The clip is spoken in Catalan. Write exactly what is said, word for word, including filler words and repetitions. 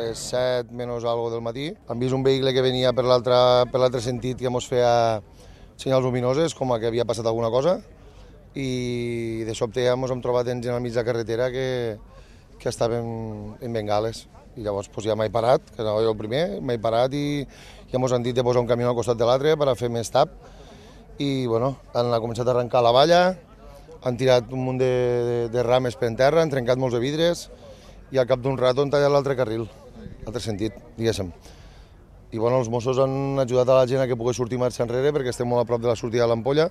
les set menys algo del matí. Hem vist un vehicle que venia per l'altre per l'altre sentit que ens feia senyals luminoses, com que havia passat alguna cosa, i de sobte ja ens hem trobat en al mig de la carretera que, que estaven en bengales. I llavors pues, ja m'he parat, que era jo el primer, m'he parat i ja ens han dit de posar un camió al costat de l'altre per a fer més tap. I bueno, han començat a arrencar la valla, han tirat un munt de, de, de rames per en terra, han trencat molts de vidres i al cap d'un rato han tallat l'altre carril, l'altre sentit, diguéssim. I bueno, els Mossos han ajudat a la gent a que pugui sortir marxa enrere perquè estem molt a prop de la sortida de l'Ampolla.